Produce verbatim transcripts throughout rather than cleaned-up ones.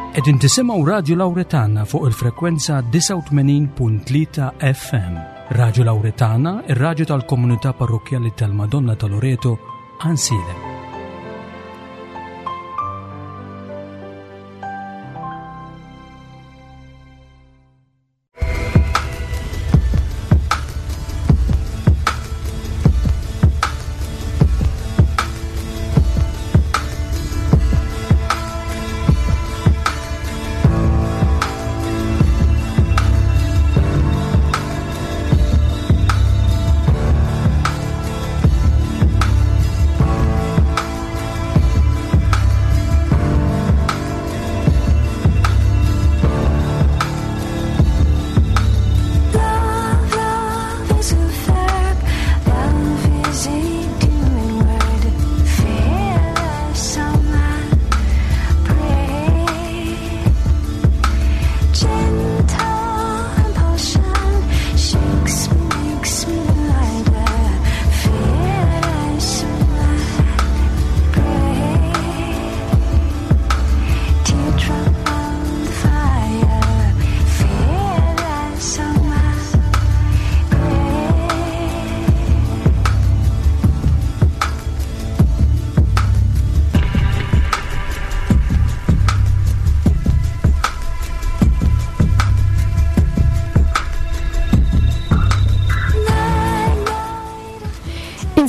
Qegħdin tisimgħu Radio Lauretana fuq il-frekwenza disgħa u tmenin punt tlieta F M. Radio Lauretana, ir-radju tal-Komunità Parrokkjali tal-Madonna ta' Loreto, Għajnsielem.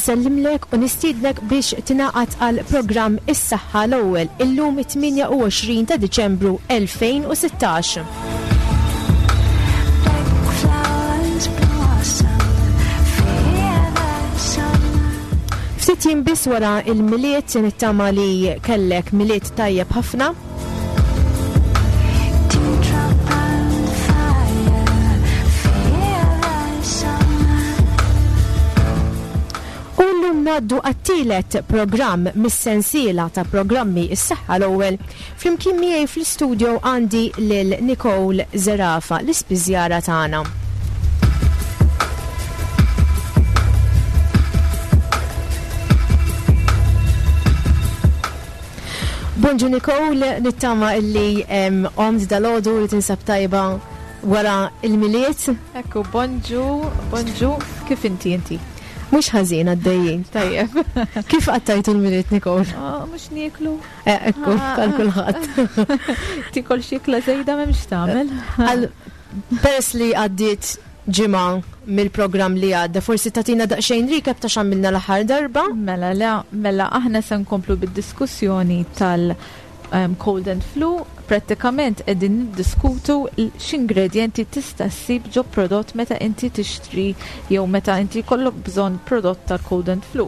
Nsellimlek u nistiednek biex tingħaqad għal programm Is-Saħħa l-Ewwel illum it-tmienja u għoxrin ta' Diċembru elfejn u sittax. Ftit jiem biss wara il-Milied, nittama li kellek Milied tajjeb ħafna. Ngħaddu għat-tielet programm mis-sensiela ta' programmi Is-Saħħa l-Ewwel. Flimkien miegħi fl-istudio għandi lil Nicole Zerafa, l-ispiżjara tagħna. Bonġu Nicole, nittama illi, em, għomt dal-għodu li tinsab tajba wara il-Milied. Ekku, bonġu, bonġu, kif inti inti? Mhux ħażin għaddejjin. Tajjeb. Kif qattajtu l-Milied, Nicole? Ah, mhux nieklu. Eh, ekku, Ah. għal kulħadd. Tikol xi ikla żejda m'hemmx tagħmel. Għal peress li għaddiet ġimgħa mill-programm li għadda, forsi tagħtina daqsxejn recap ta' x'għamilna l-aħħar darba? Mela, le, mela aħna se nkomplu bid-diskussjoni tal, em, cold and flu. Prattikament qegħdin niddiskutu l-, x'ingredjenti tista' ssib ġo prodott meta inti tixtri jew meta inti jkollok bżonn prodott tal-cold and flu.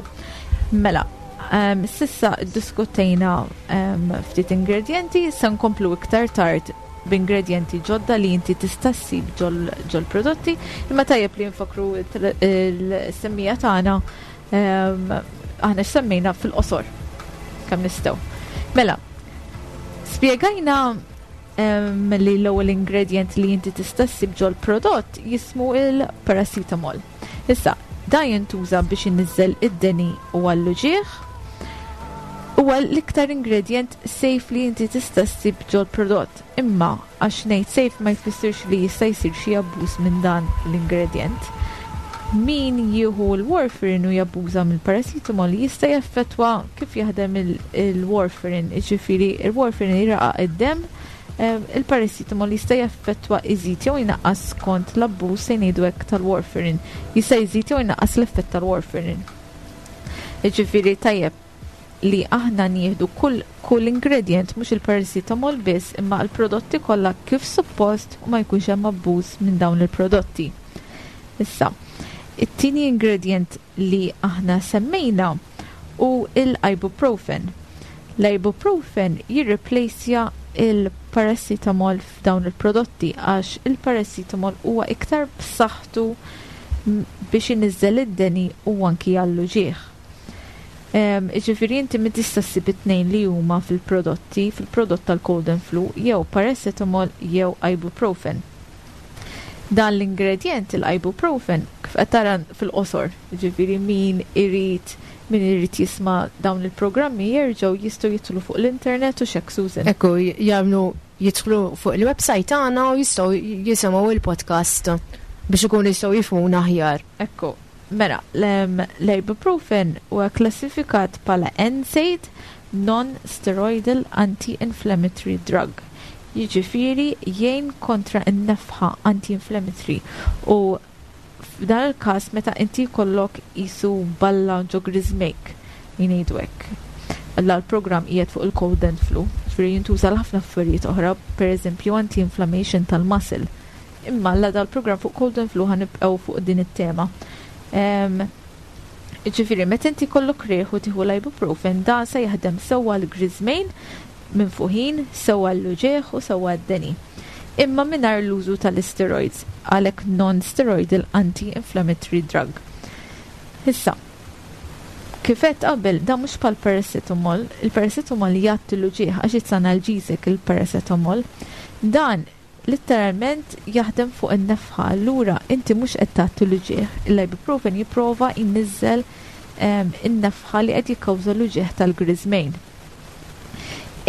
Mela, em, sissa ddiskutejna, em, ftit ingredjenti, se nkomplu iktar tard b'ingredjenti ġodda li inti tista' ssib ġol-, ġol-prodotti, imma tajjeb li nfakru il-, il-semmija tagħna, em, aħna x'semmejna fil-qosor kemm nistgħu. Mela, spjegajna, em, li l-ewwel ingredient li inti tista' ssib ġol-prodott jismu il-paracetamol. Issa, da jintuża biex iniżżel id-deni u għall-uġigħ. Huwa l-iktar ingredient safe li inti tista' ssib ġol-prodott, imma għax ngħid safe ma jfissirx li jista' jsir xi abbuż minn dan l-ingredient. Min jieħu l-warfarin u jabbuża mill-paracetamol jista' jaffettwa kif jaħdem il-, il-warfarin, jiġifieri il-warfarin jiraqaq id-demm, em, il-paracetamol jista' jaffettwa iżid jew jnaqqas skont l-abbuż se ngħidu hekk tal-warfarin, jista' jżid jew jnaqqas l-effett tal-warfarin. Jiġifieri tajjeb li aħna nieħdu kull, kull ingredient, mhux il-paracetamol biss, imma l-prodotti kollha kif suppost u ma jkunx hemm abbuż minn dawn il-prodotti. Issa, it-tieni ingredient li aħna semmejna hu l-ibuprofen. L-ibuprofen jirreplacja il-paracetamol f'dawn il-prodotti għax il-paracetamol huwa iktar b'saħħtu m-, biex iniżżel id-deni u anki għall-uġigħ. Em, jiġifieri inti ma tista' ssib it-tnejn li huma fil-prodotti, fil-prodott tal-cold and flu, jew paracetamol jew ibuprofen. Dan l-ingredient, il-ibuprofen, kif qed tara fil-qosor, jiġifieri min irid min irid jisma' dawn il-programmi jerġgħu jistgħu jidħlu fuq l-internet u xek Susan. Ekku, jagħmlu Jidħlu fuq il-website tagħna u jistgħu jisimgħu il-podcast biex ikunu jistgħu jifhmuna aħjar. Ekku, mela, l-ibuprofen huwa klassifikat bħala N SAID, non-steroidal anti-inflammatory drug. Jiġifieri jgħin kontra n-nefħa, anti-inflammatory, u f'dan il-każ meta inti jkollok qisu balla ġo griżmejk, ngħidu hekk. Alla l-programm qiegħed fuq il-cold and flu, ġifieri jintuża ħafna affarijiet oħra, pereżempju anti-inflammation tal-muscle. Imma alla dal-programm fuq cold and flu, ħa nibqgħu fuq din it-tema. Ġifieri, meta inti jkollok riħ u tieħu l-ibuprofen, dan se jaħdem sewwa l-griżmejn minfuħin, sewwa l-uġigħ u sewwa d-deni. Imma mingħajr l-użu tal-steroids, għalhekk non-steroidal anti-inflammatory drug. Issa, kif għedt qabel, da mhux bħal paracetamol, il-paracetamol jgħatti l-uġigħ għax it's analgesic il-paracetamol. Dan literalment jaħdem fuq in-nefħa, allura inti mhux qed tgħatti l-uġigħ. Il-ibuprofen jipprova jniżżel in-nefħa li qed jikkawża l-uġigħ tal-griżmejn.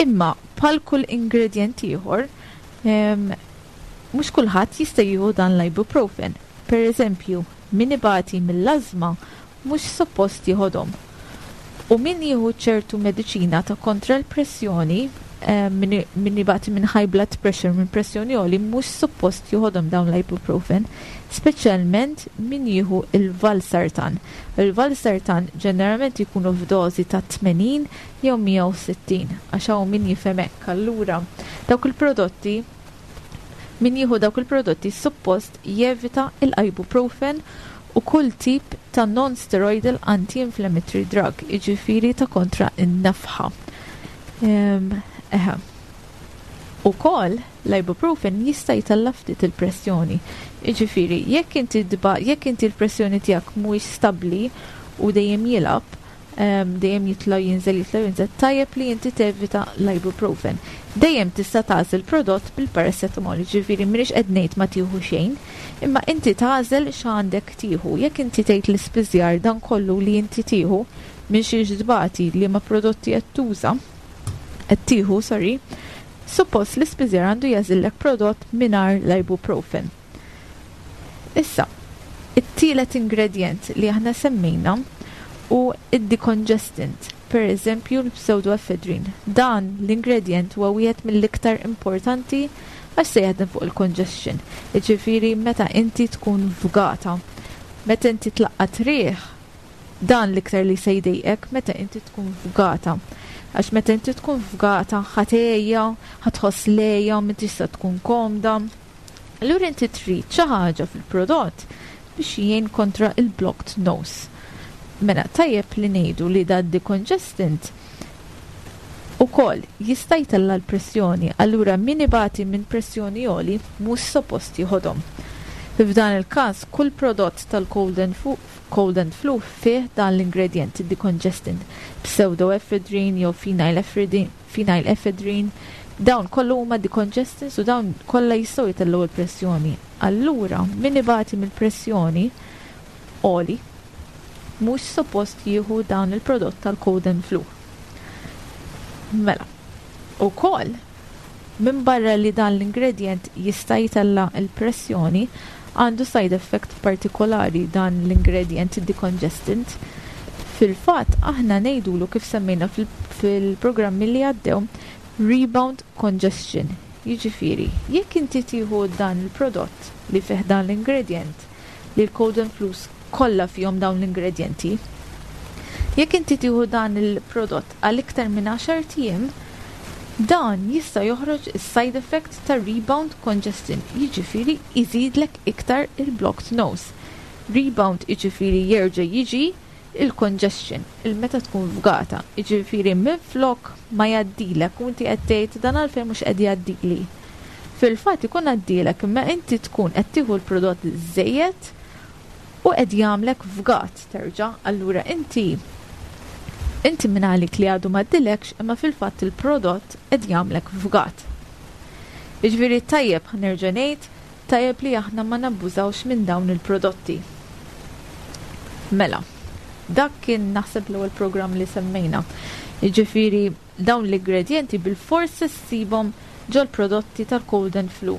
Imma bħal kull ingredient ieħor, mhux kulħadd jista' jieħu dan l-ibuprofen. Per eżempju, min ibati mill-ażma mhux suppost jieħodhom. U min jieħu ċertu mediċina ta' kontra l-pressjoni, min ibati minn high blood pressure, minn pressjoni għoli, mhux suppost jieħodhom dawn l-ibuprofen, speċjalment min jieħu il-valsartan. Il-valsartan ġeneralment jkunu f'dożi ta' tmenin jew mija u sittin, għax hawn min jifhem hekk. Allura, dawk il-prodotti, min jieħu dawk il-prodotti suppost jevita il-ibuprofen u kull tip ta' non-steroidal anti-inflammatory drug, iġifieri ta' kontra in-nefħa. Eħe. Ukoll l-ibuprofen jista' jtella' ftit il-pressjoni. Iġifieri, jekk inti jekk inti l-pressjoni tiegħek mhuwiex stabbli u dejjem jilgħab, dejjem jitla' jinżel, jitla' jinżel, tajjeb li inti tevita l-ibuprofen. Dejjem tista' tagħżel prodott bil-paracetamol, ġifieri m'iniex qed ngħid ma tieħu xejn, imma inti tagħżel x'għandek tieħu. Jekk inti tgħid l-ispiżjar dan kollu li inti tieħu minn xiex tbati, li ma prodotti qed tuża, qed tieħu, sorry, suppost l-ispiżjar għandu jagħżillek prodott mingħajr l-ibuprofen. Issa, it-tielet ingredient li aħna semmejna hu id-decongestant, per eżempju l-pseudoephedrine. Dan l-ingredient huwa wieħed mill-iktar importanti għax se jaħdem fuq il-congestion. Jiġifieri meta inti tkun fgata, meta inti tlaqqat riħ, dan l-iktar li se jdejqek meta inti tkun fgata. Għax meta inti tkun fgata, ħa tegħja, ħa tħoss l-għeja, m'intix se tkun komda. Allura inti trid xi ħaġa fil-prodott biex jgħin kontra il-blocked nose. Mela tajjeb li ngħidu li da decongestant ukoll jista' jtella' l-pressjoni, allura min ibati minn pressjoni għoli mhux suppost jieħodhom. F'dan il-każ kull prodott tal-cold and fu cold and flu fih dan l-ingredient decongestant, pseudoephedrine jew phenylephrine, phenylephedrine, dawn kollu huma decongestants u dawn kollha jistgħu jtellgħu l-pressjoni. Allura min ibati mill-pressjoni għoli mhux suppost jieħu dan il-prodott tal-cold and flu. Mela, ukoll minn barra li dan l-ingredient jista' jtella' l-pressjoni, għandu side effect partikolari dan l-ingredient decongestant. Fil-fatt, aħna ngħidulu, kif semmejna fil-programmi li għaddew, rebound congestion. Jiġifieri, jekk inti tieħu dan il-prodott li fih dan l-ingredient, li l-cold and flus kollha fihom dawn l-ingredienti, jekk inti tieħu dan il-prodott għal iktar minn għaxart ijiem, dan jista' joħroġ is-side effect ta' rebound congestion, jiġifieri iżidlek iktar il-blocked nose. Rebound jiġifieri jerġa' jiġi il-congestion, il-meta tkun fgata, jiġifieri minflok ma jgħaddilek u inti qed tgħid dan għalfejn mhux qed jgħaddili. Fil-fatt ikun għaddilek, imma inti tkun qed tieħu l-prodott żejjed u qed jagħmlek fgat terġa', allura inti inti minn għalik li għadu m'għaddilekx, imma fil-fatt il-prodott qed jagħmlek fgat. Jiġifieri tajjeb, nerġa' ngħid, tajjeb li aħna ma nabbużawx minn dawn il-prodotti. Mela, dak kien naħseb l-ewwel programm li semmejna. Jiġifieri dawn l-ingredienti bil-forsi ssibhom Ġol prodotti tal-cold and flu.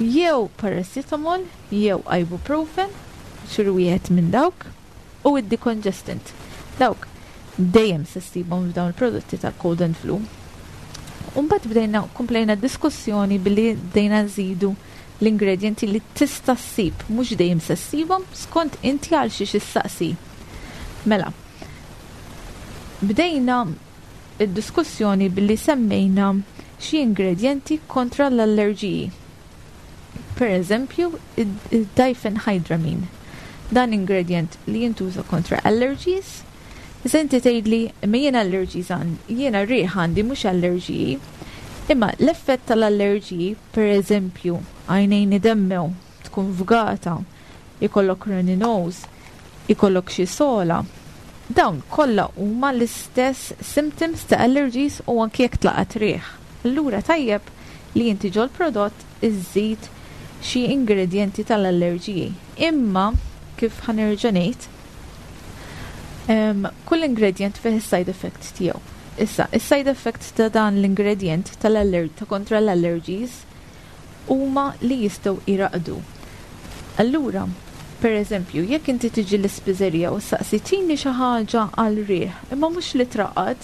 Jew paracetamol, jew ibuprofen, xi wieħed minn dawk, u id-decongestant. Dawk dejjem se ssibhom f'dawn il-prodotti tal-cold and flu. Umbagħad bdejna komplejna diskussjoni billi bdejna nżidu l-ingredienti li tista' ssib, mhux dejjem se ssibhom, skont inti għal xiex issaqsi. Mela, bdejna id-diskussjoni billi semmejna xi ingredienti kontra l-allerġiji. Per eżempju, id-diphenhydramine. Dan ingredient li jintuża kontra allergies. Iżda inti tgħidli, imma jiena allergies għandi, jiena riħ għandi, mhux allerġiji. Imma l-effett tal-allerġiji, per eżempju, għajnejn idemmew, tkun fgata, ikollok runny nose, ikollok xi sogħla. Dawn kollha huma l-istess symptoms ta' allergies u anki jekk tlaqat riħ. Allura tajjeb li inti ġol prodott iżżid xi ingredienti tal-allerġiji. Imma kif ħa nerġa' ngħid, um, kull ingredient fih is-side effect tiegħu. Issa, is-side effect ta' dan l-ingredient tal-aller ta' kontra l-allergies huma li jistgħu iraqdu. Allura, per eżempju, jekk inti tiġi l-ispiżerija u saqsi tini xi ħaġa għal riħ, imma mhux li traqad,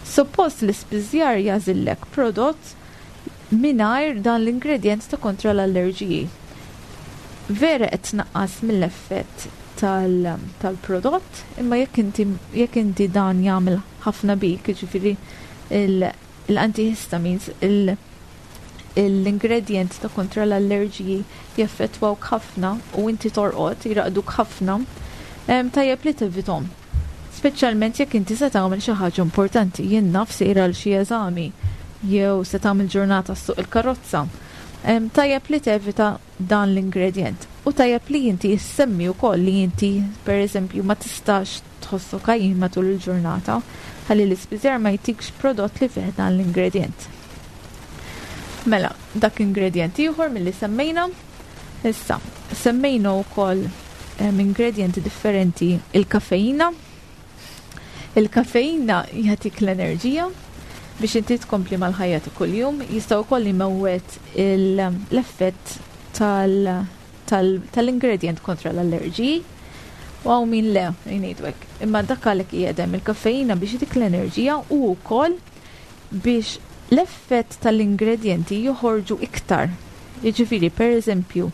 suppost l-ispiżjar jagħżillek prodott mingħajr dan l-ingredient ta' kontra l-allerġiji. Vera qed tnaqqas mill-effett tal-prodott, imma jekk inti jekk inti dan jagħmel ħafna bik, jiġifieri l-antihistamines, l-ingredient ta' kontra l-allerġiji jaffettwawk ħafna u inti torqod, jiraqduk ħafna, tajjeb li tevitahom. Speċjalment jekk inti se tagħmel xi ħaġa importanti, jien naf, sejra għal xi eżami jew se tagħmel ġurnata ssuq il-karozza. Tajjeb li tevita dan l-ingredient. U tajjeb li inti jissemmi wkoll li inti, per eżempju, ma tistax tħossok għajjien matul il-ġurnata, ħalli l-ispiżjar ma jtikx prodott li fih dan l-ingredient. Mela, dak ingredient ieħor milli semmejna. Issa, semmejna wkoll ingredienti differenti, il-kafeina. Il-kafeina jagħtik l-enerġija biex inti tkompli mal-ħajja ta' kuljum, jista' wkoll imewwet l-effett tal-ingredient kontra l-allerġiji. U hawn min le, jgħidu hekk. Imma dak għalhekk qiegħed il-kafeina, biex dik l-enerġija u wkoll biex l-effett tal-ingredienti joħorġu iktar. Jiġifieri, per eżempju,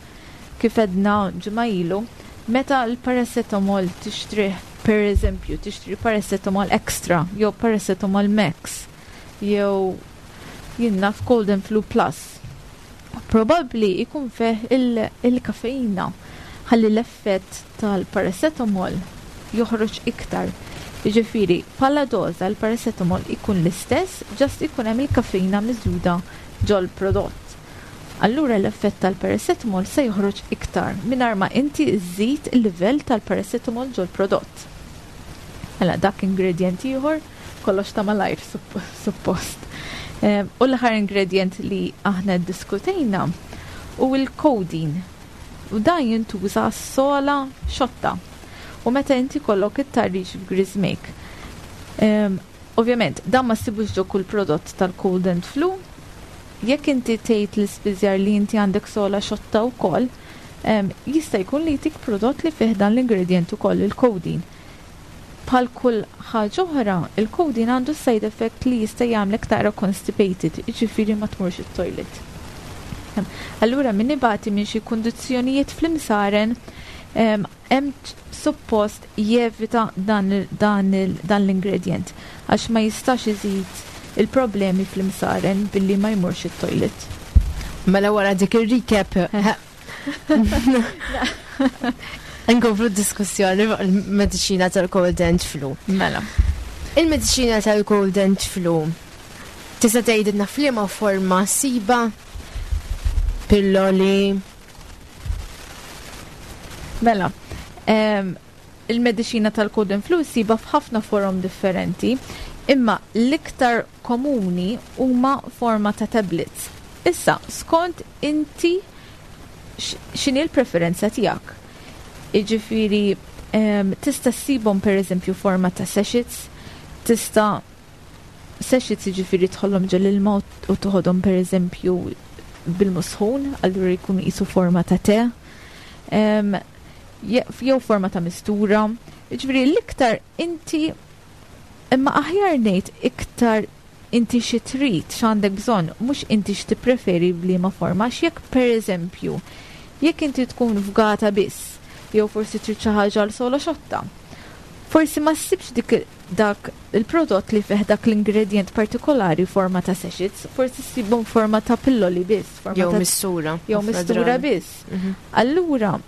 kif għedna ġimgħa ilu, meta l-paracetamol tixtrih, per eżempju, tixtri paracetamol extra, jew paracetamol max, jew jien naf cold and flu plus, probabli ikun fih il-kafeina ħalli l-effett tal-paracetamol joħroġ iktar. Jiġifieri, bħala doża l-paracetamol ikun l-istess, just ikun hemm il-kafeina miżjuda ġol prodott. Allura l-effett tal-paracetamol se joħroġ iktar mingħajr ma inti żżid il-livell tal-paracetamol ġol prodott. Mela dak ingredient ieħor, kollox ta' malajr suppost. U l-aħħar ingredient li aħna ddiskutejna hu il-codeine. U dan jintuża sogħla xotta. U meta inti kollok it-tarriċ f'griżmejk. Ovvjament, dan ma ssibux ġo kull prodott tal-cold and flu. Jekk inti tgħid l-ispiżjar li inti għandek sogħla xotta wkoll, jista' jkun li jtik prodott li fih dan l-ingredient ukoll, il-codeine. Bħal kull ħaġa oħra, il-codeine għandu side effect li jista' jagħmlek taqra constipated, jiġifieri ma tmurx it-toilet. Allura min ibati minn xi kundizzjonijiet fl-imsaren hemm suppost jevita dan, dan, dan l-ingredient għax ma jistax iżid il-problemi fl-imsaren billi ma jmurx it-toilet. Mela wara dik il-recap, nkomplu diskussjoni fuq il-mediċina tal-cold and flu. Mela. Il-mediċina tal-cold and flu tista' tgħidilna f'liema forma ssibha? Pilloli? Mela, il-mediċina tal-cold and flu ssibha f'ħafna forom differenti, imma l-iktar komuni huma forma ta' tablets. Issa, skont inti x'inhi l-preferenza tiegħek. Jiġifieri, tista' ssibhom per eżempju forma ta' sachets, tista' Sachets jiġifieri tħollhom ġol-ilma u toħodhom pereżempju bil-musħun, allura jkunu qisu forma ta' te. Em, je- jew forma ta' mistura. Jiġifieri l-iktar inti, imma aħjar ngħid iktar inti xi trid, x'għandek bżonn, mhux inti x'tippreferi b'liema forma, għax jekk pereżempju, jekk inti tkun fgata biss, jew forsi trid xi ħaġa għal sola xotta, forsi ma ssibx dik dak il-prodott li fih dak l-ingredient partikolari forma ta' sachets, forsi ssibhom forma ta' pilloli biss, forma Jew ta' mistura. Jew ħafna mistura drabi. Biss. Mhm. Allura,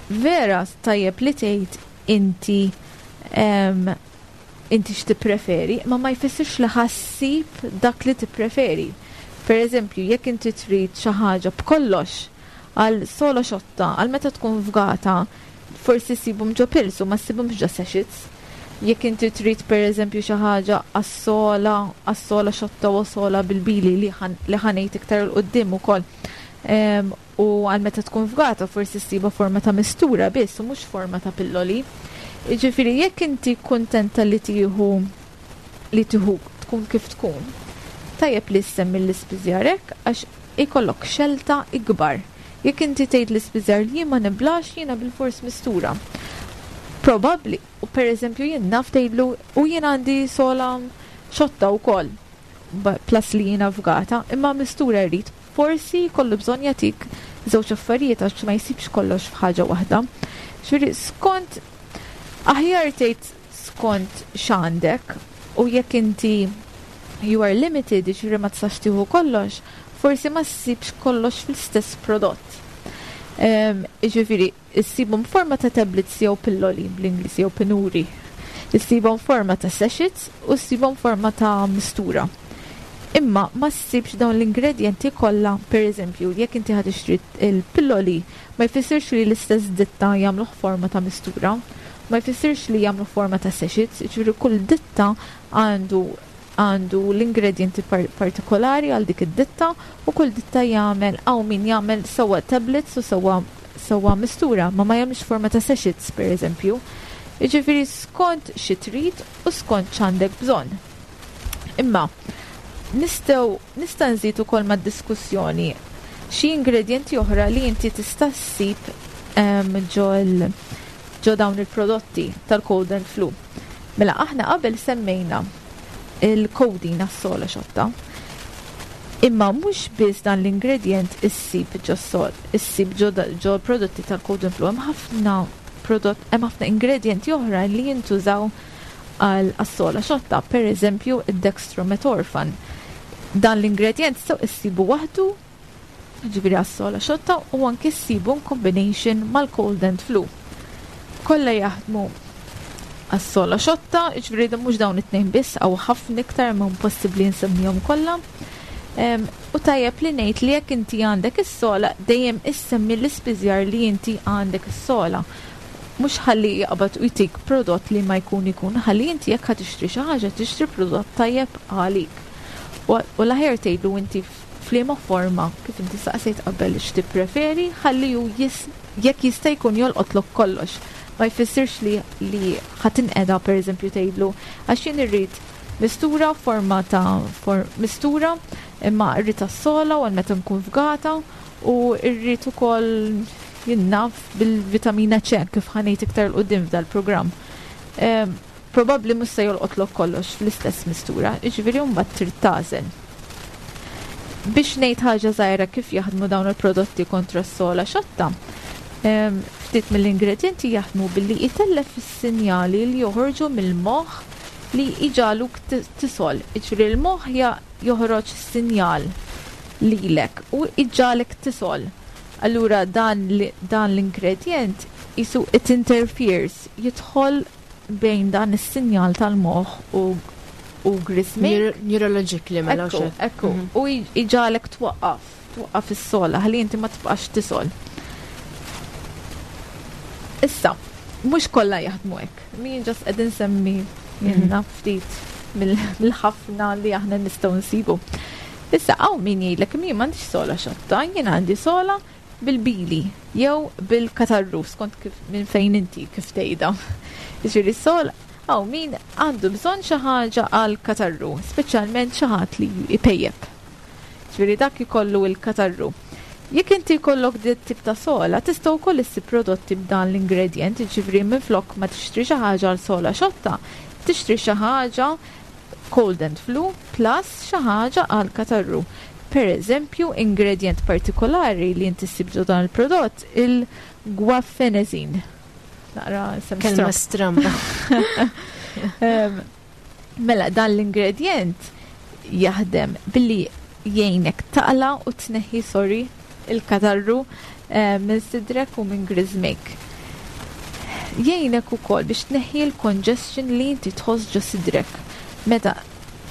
vera tajjeb li tgħid inti em, inti x'tippreferi, ma ma jfissirx li ħa ssib dak li tippreferi. Per eżempju, jekk inti trid xi ħaġa b'kollox għal sola xotta, għal meta tkun fgata, forsi ssibhom ġo pills u ma ssibhomx ġo sachets. Jekk inti trid per eżempju xi ħaġa għas-sola, għas-sola xotta u sola bil-bili li ħan- li ħa ngħid iktar 'il quddiem ukoll. Em, u għal meta tkun fgata forsi ssiba forma ta' mistura biss u mhux forma ta' pilloli. Jiġifieri jekk inti kuntenta li tieħu li tieħu tkun kif tkun, tajjeb li ssemmi l-ispiżjarek għax ikollok xelta ikbar. Jekk inti tgħid l-ispiżjar li jien ma niblax, jiena bil-fors mistura. Probabbli, u per eżempju jien naf tgħidlu u jien għandi sola xotta wkoll, ba- plus li jiena fgata, imma mistura rrid, forsi kollu bżonn jagħtik żewġ affarijiet għax ma jsibx kollox f'ħaġa waħda. Ġifieri skont, aħjar tgħid skont x'għandek, u jekk inti you are limited, ġifieri ma tistax tieħu kollox, forsi ma ssibx kollox fl-istess prodott. Em, Ġifieri, issibhom forma ta' tablets jew pilloli bl-Ingliż jew pinuri. Issibhom forma ta' sachets u ssibhom forma ta' mistura. Imma ma ssibx dawn l-ingredienti kollha, per eżempju, jekk inti ħa tixtri il-pilloli, ma jfissirx li l-istess ditta jagħmluh forma ta' mistura, ma jfissirx li jagħmlu forma ta' sachets, ġifieri kull ditta għandu għandu l-ingredienti par partikolari għal dik id-ditta u kull ditta jagħmel, hawn min jagħmel sewwa tablets u sewwa sewwa mistura, ma ma jagħmilx forma ta' sachets per eżempju. Jiġifieri skont xi trid u skont x'għandek bżonn. Imma nistgħu nista' nżid ukoll mad-diskussjoni xi ingredienti oħra li inti tista' ssib em, ġol ġo dawn il-prodotti tal-cold and flu. Mela aħna qabel semmejna il-codeine għas-sola xotta. Imma mhux biss dan l-ingredient issib ġo sol, issib ġo, ġo prodotti tal-cold and flu, hemm ħafna prodott, hemm ħafna ingredienti oħra li jintużaw għal għas-sola xotta, per eżempju id-dextromethorphan. Dan l-ingredient sew issibu waħdu, ġifieri għas-sola xotta, u anki ssibu in combination mal-cold and flu. Kollha jaħdmu għas-sola xotta, ġifieri da mhux dawn it-tnejn biss, hawn ħafna iktar, ma impossibbli nsemmihom kollha. Em, u tajjeb li ngħid li jekk inti għandek is-sola, dejjem issemmi l-ispiżjar li inti għandek is-sola. Mhux ħalli jaqbad u jtik prodott li ma jkun ikun, ħalli inti jekk ħa tixtri xi ħaġa, tixtri prodott tajjeb għalik. U u l-aħjar tgħidlu inti f'liema forma, kif inti saqsejt qabel x'tippreferi, ħalli hu jis, jekk jista' jkun jolqotlok kollox. Ma jfissirx li li ħa tinqeda per eżempju tgħidlu għax jien irrid mistura forma ta' for, mistura imma rrid tas-sola u għal meta nkun fgata u rrid ukoll jien naf bil-vitamina C kif ħa ngħid iktar 'il quddiem f'dal-programm. Em, Probabbli mhux se jolqotlok kollox fl-istess mistura, jiġifieri mbagħad trid tagħżel. Biex ngħid ħaġa żgħira kif jaħdmu dawn il-prodotti kontra s-sola xotta, em, ftit mill-ingredienti jaħdmu billi jtellef is-sinjali li joħorġu mill-moħħ li jġagħluk tisgħol. Jiġifieri l-moħħ ja- joħroġ sinjal lilek u jġagħlek tisgħol. Allura dan li- dan l-ingredient jisu it interferes, jidħol bejn dan is-sinjal tal-moħħ u u grismik. Neurologically mela. Ekku, xek. ekku. Mhm. U jġagħlek twaqqaf, twaqqaf is-sola, ħalli inti ma tibqax tisgħol. Issa, mhux kollha jaħdmu hekk. Min just qed insemmi jiena ftit mill- mill-ħafna li aħna nistgħu nsibu. Issa hawn min jgħidlek min m'għandix sola xotta, jien għandi sola bil-bili jew bil-katarru skont kif minn fejn inti kif tgħidha. Jiġifieri sol Hawn min għandu bżonn xi ħaġa għal katarru, speċjalment xi ħadd li jpejjep. Ġifieri dak ikollu il-katarru. Jekk inti jkollok dit tip ta' sola, tista' wkoll issib prodotti b'dan l-ingredient, ġifieri minflok ma tixtri xi ħaġa għal sola xotta, tixtri xi ħaġa cold and flu plus xi ħaġa għal katarru. Per eżempju, ingredient partikolari li inti ssib ġo dan il-prodott, il-guaifenesin. Naqra sem Kelma stramba. stramba. Em, Mela, dan l-ingredient jaħdem billi jgħinek taqla u tneħħi, sorry, il-katarru eh, minn sidrek u minn griżmejk. Jgħinek ukoll biex tneħħi l-congestion li inti tħoss ġo sidrek. Meta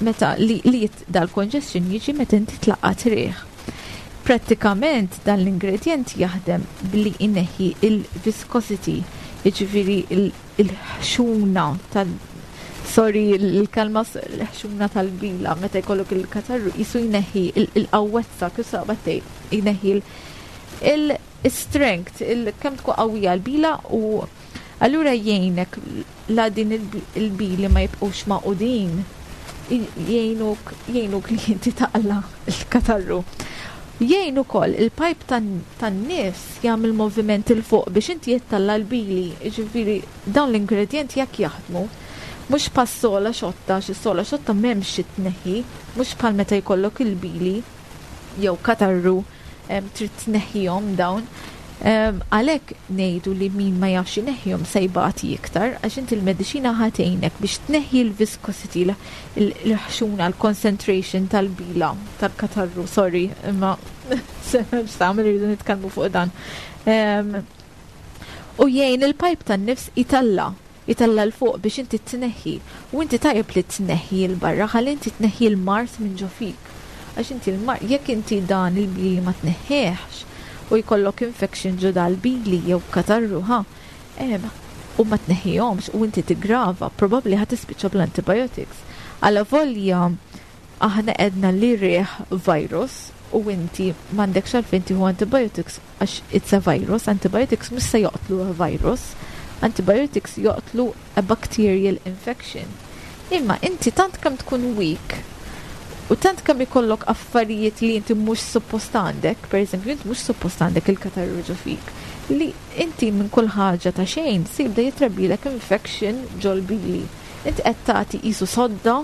meta li, li jit- dal-congestion jiġi meta inti tlaqqat riħ. Prattikament dan l-ingredient jaħdem billi ineħħi il-viscosity, jiġifieri il- il-ħxuna tal sorry, il-kelma s- l-ħxuna tal-bila, meta jkollok il-katarru, jisu jneħħi il- il-qawwezza, kif sabattej, jneħħi il- il-strength, il-kemm tkun qawwija l-bila u allura jgħinek la din il- il-bili ma jibqux magħqudin, jgħinuk jgħinuk li inti taqla il-katarru. Jgħin ukoll il-pipe tan- tan-nifs jagħmel moviment 'il fuq biex inti jittalla l-bili, jiġifieri dawn l-ingredjenti jekk jaħdmu mhux bħal sola xotta, xi sola xotta m'hemmx xi tneħħi, mhux bħal meta jkollok il-bili jew katarru em, trid tneħħihom dawn. Em, Għalhekk ngħidu li min ma jafx ineħħihom se jbati iktar għax inti l-mediċina ħa tgħinek biex tneħħi l-viscosity, l-ħxuna, l-concentration tal-bila, tal-katarru, sorry, imma x'tagħmel irridu nitkellmu fuq dan. Em, U jgħin il-pipe tan-nifs italla italla 'l fuq biex inti tneħħi. U inti tajjeb li tneħħi 'l barra, ħalli inti tneħħi l-mard minn ġo fik. Għax inti l-mard, jekk inti dan il-bili ma tneħħiex u jkollok infection ġo dal-bili jew katarru, ha, em, u ma tneħħihomx u inti tigrava, probabli ħa tispiċċa bl-antibiotics. Alla volja aħna għedna li riħ virus u inti m'għandekx għalfejn tieħu antibiotics għax it's a virus, antibiotics mhux se joqtlu a virus, antibiotics joqtlu a bacterial infection. Imma inti tant kemm tkun weak u tant kemm ikollok affarijiet li inti mhux suppost għandek, per eżempju, inti mhux suppost għandek il-katarru ġo fik, li inti minn kull ħaġa ta' xejn se jibda jitrabbilek infection ġol-bili. Inti qed tagħti qisu sodda,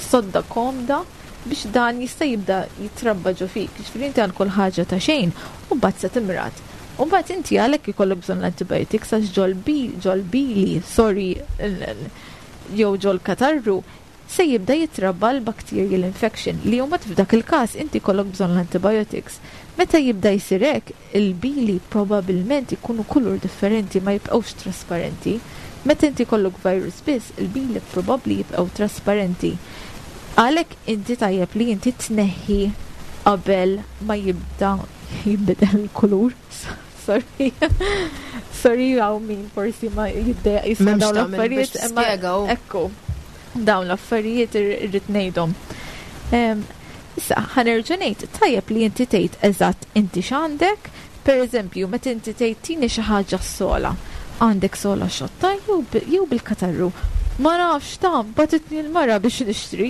sodda komda biex dan jista' jibda jitrabba ġo fik. Ġifieri inti għal kull ħaġa ta' xejn u mbagħad se timrad. U mbagħad inti għalhekk ikollok bżonn l-antibiotics għax ġol-bili, sorry, jew ġol katarru se jibda jitrabba l-bacterial infection li mbagħad f'dak il-każ inti jkollok bżonn l-antibiotics. Meta jibda jsir hekk, il-bili probabilment ikunu kulur differenti ma jibqgħux trasparenti. Meta inti jkollok virus biss, il-bili probabbli jibqgħu trasparenti. Għalhekk inti tajjeb li inti tneħħi qabel ma jibda jinbidel il-kulur. Sorry. Sorry għaw min forsi ma jibda jisma' M'hemmx dawn tagħmel biex l-affarijiet. imma tispjega u. Ekku, dawn l-affarijiet irrid ngħidhom. Em, Issa, ħa nerġa' ngħid, tajjeb li inti tgħid eżatt inti x'għandek, per eżempju, meta inti tgħid tini xi ħaġa sola, għandek sola xotta jew bi- jew bil-katarru. Ma nafx ta' bagħtitni l-mara biex nixtri.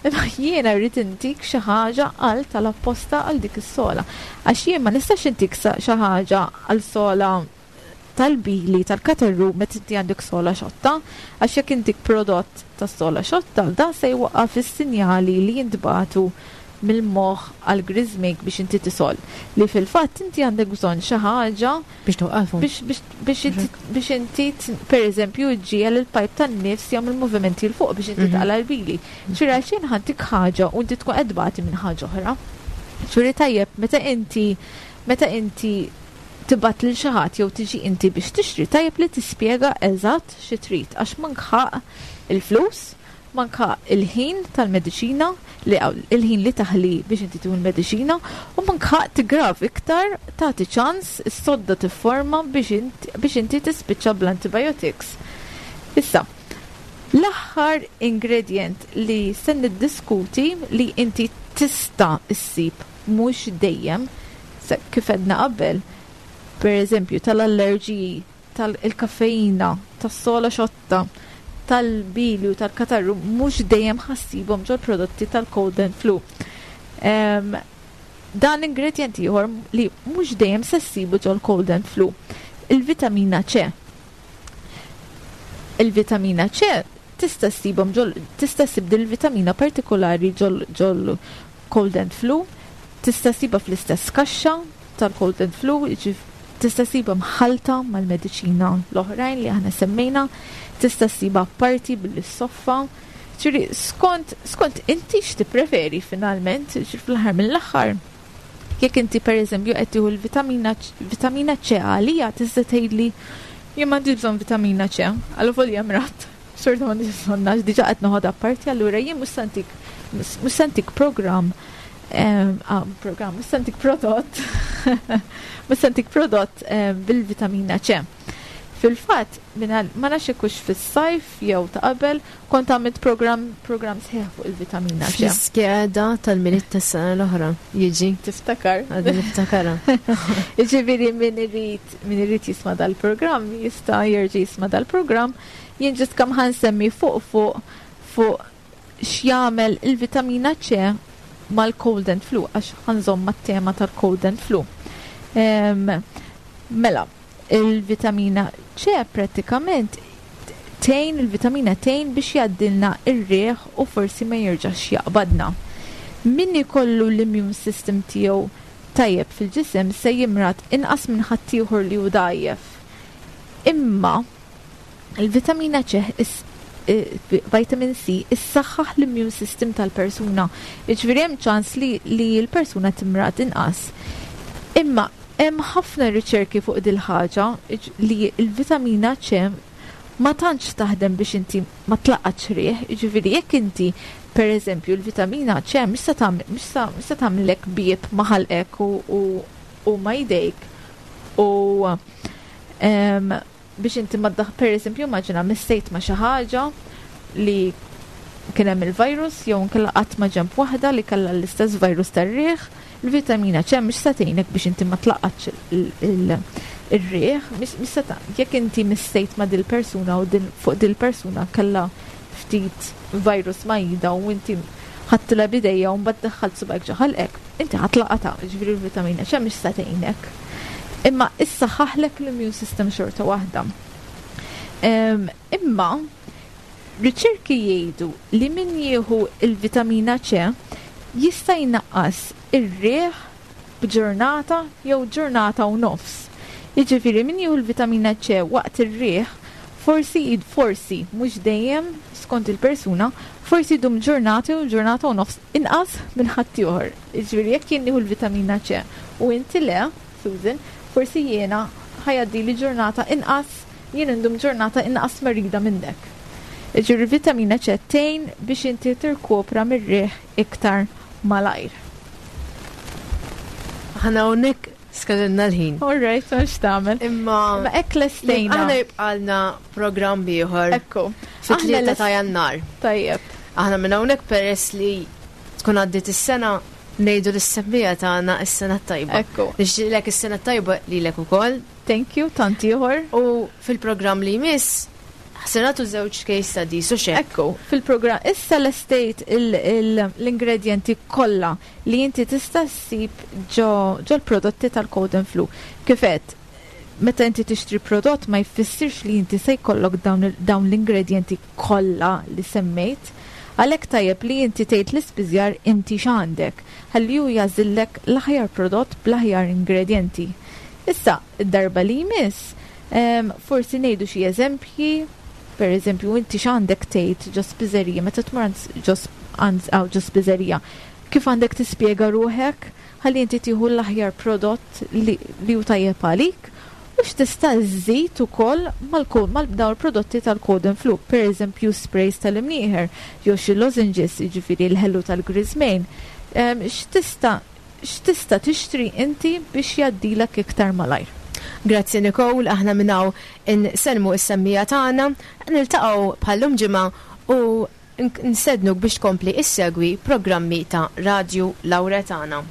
Imma jiena rrid intik xi ħaġa għal tal-apposta għal dik is-sola. Għax jien ma nistax intik sa- xi ħaġa għal sola tal-bili, tal-katarru, meta inti għandek sola xotta, għax jekk intik prodott ta' sola xotta, dan se jwaqqaf is-sinjali li jintbagħtu mill-moħħ għal griżmejk biex inti tisol. Li fil-fatt inti għandek bżonn xi ħaġa Biex toqqafu. biex biex biex inti biex inti t- per eżempju ġġiegħel il-pipe tan-nifs jagħmel movimenti 'l fuq biex inti Mhm. taqla l-bili. Ġifieri għalxejn ħa ntik ħaġa u inti tkun qed tbati minn ħaġa oħra. Ġifieri tajjeb meta inti meta inti tibgħat lil xi ħadd jew tiġi inti biex tixtri tajjeb li tispjega eżatt xi trid għax manka il-flus, manka il-ħin tal-mediċina li il-ħin li taħli biex inti tieħu l-mediċina u manka tigrav iktar tagħti ċans is-sodda tifforma biex inti biex inti tispiċċa bl-antibiotics. Issa, l-aħħar ingredient li se niddiskuti li inti tista' issib mhux dejjem se- kif għedna qabel, per eżempju tal-allerġiji, tal-kaffeina, tas-sola xotta, tal-bili u tal-katarru mhux dejjem ħa ssibhom ġol-prodotti tal-cold and flu. Um, dan ingredient ieħor li mhux dejjem se ssibu ġol-cold and flu. Il-vitamina C. Il-vitamina C tista' ssibhom ġol tista' ssib dil-vitamina partikolari ġol ġol cold and flu, tista' ssibha fl-istess kaxxa tal-cold and flu, tista' ssibha mħalta mal-mediċina l-oħrajn li aħna semmejna, tista' ssibha parti bil-soffa. Ġifieri, skont, skont inti x'tippreferi finalment, ġifieri fl-aħħar mill-aħħar. Jekk inti per eżempju qed tieħu l-vitamina vitamina C għalija tista' tgħidli jien m'għandix bżonn vitamina C, għal mradt. Xorta m'għandix bżonn għax diġà qed noħodha parti, allura jien mhux se ntik mhux se ntik programm ah, programm, mhux se ntik prodott mhux se ntik prodott bil-vitamina C. Fil-fatt, ma nafx hux fis-sajf jew ta' qabel, kont għamilt program program sħiħ fuq il-vitamina C. Fl-iskeda tal-Milied tas-sena l-oħra, jiġi. Tiftakar? Għadni niftakarha. Ġifieri min irid min irid jisma' dal-programm jista' jerġa' jisma' dal-programm. Jien just kemm ħa nsemmi fuq fuq fuq x'jagħmel il-vitamina C mal-cold and flu, għax ħa nżomm mat-tema tal-cold and flu. Mela, il-vitamina C pratikament tgħin, il-vitamina tgħin biex jgħaddilna ir-riħ u forsi ma jerġax jaqbadna. Min ikollu l-immune system tiegħu tajjeb fil-ġisem se jimrad inqas minn ħaddieħor li hu dgħajjef. Imma il-vitamina C, vitamin C, issaħħaħ l-immune system tal-persuna. Jiġifieri hemm ċans li, li l-persuna timrad inqas. Imma hemm ħafna riċerki fuq dil-ħaġa li l-vitamina C ma tantx taħdem biex inti ma tlaqqatx riħ, jiġifieri jekk inti per eżempju l-vitamina C mhux se tagħmlek bieb ma' ħalqek u, u ma' jdejk u biex inti ma per eżempju immaġina missejt ma' xi ħaġa li kien hemm il-virus jew nkella qatt ma' ġenb waħda li kellha l-istess virus tar-riħ, il-vitamina C mhux se tgħinek biex inti ma tlaqqatx ir-riħ, mhux se jekk inti missejt ma' dil-persuna u fuq dil-persuna kellha ftit virus ma' idha u inti ħadtilha b'idejha u mbagħad daħħalt subgħek ġo ħalqek, inti ħa tlaqatha, ġifieri l-vitamina C mhux se tgħinek. Imma issaħħaħlek l-immune system xorta waħda. Imma riċerki jgħidu li min jieħu il-vitamina C jista' jnaqqas ir-riħ b'ġurnata jew ġurnata u nofs. Jiġifieri min jieħu l-vitamina C waqt ir-riħ forsi forsi mhux dejjem skont il-persuna, forsi jdum ġurnata u ġurnata u nofs inqas minn ħaddieħor. Jiġifieri jekk jien nieħu l-vitamina C u inti le, Susan, forsi jiena ħa jgħaddili ġurnata inqas, jien indum ġurnata inqas marida minnek. Ġifieri vitamina C tgħin biex inti tirkopra mir-riħ iktar malajr. Aħna hawnhekk skadilna l-ħin. All right, għax tagħmel. Imma Ma hekk lestejna. Aħna jibqalna programm ieħor. Ekku. Fit-tlieta ta' Jannar. Tajjeb. Aħna minn hawnhekk peress li tkun għaddiet is-sena ngħidu lis-semmiegħa tagħna is-sena tajba. Ekku. Nixtieqlek is-sena tajba lilek ukoll. Thank you, tant ieħor. U fil-programm li jmiss se nagħtu żewġ case studies u xek. Ekku, fil-programm issa lestejt l-ingredienti kollha li inti tista' ssib ġo l-prodotti tal-cold and flu. Kif għedt, meta inti tixtri prodott ma jfissirx li inti se jkollok dawn l-ingredienti kollha li semmejt. Għalhekk tajjeb li inti tgħid l-ispiżjar inti x'għandek, ħalli hu jagħżillek l-aħjar prodott bl-aħjar ingredienti. Issa, id-darba li jmiss, forsi ngħidu xi eżempji, per eżempju, inti x'għandek tgħid ġo spiżerija, meta tmur ġo spiżerija, kif għandek tispjega ruħek ħalli inti tieħu l-aħjar prodott li hu tajjeb għalik, u x'tista' żżid ukoll mal dawn il-prodotti tal-cold and flu, per eżempju sprays tal-imnieħer, jew xi lozenges, jiġifieri l-ħelu tal-griżmejn. X'tista' x'tista' tixtri inti biex jgħaddilek iktar malajr. Grazzi Nicole, aħna minn hawn insellmu s-semmiegħa tagħna, niltaqgħu bħal-lum ġimgħa u nstednuk biex tkompli issegwi programmi ta' Radio Lauretana.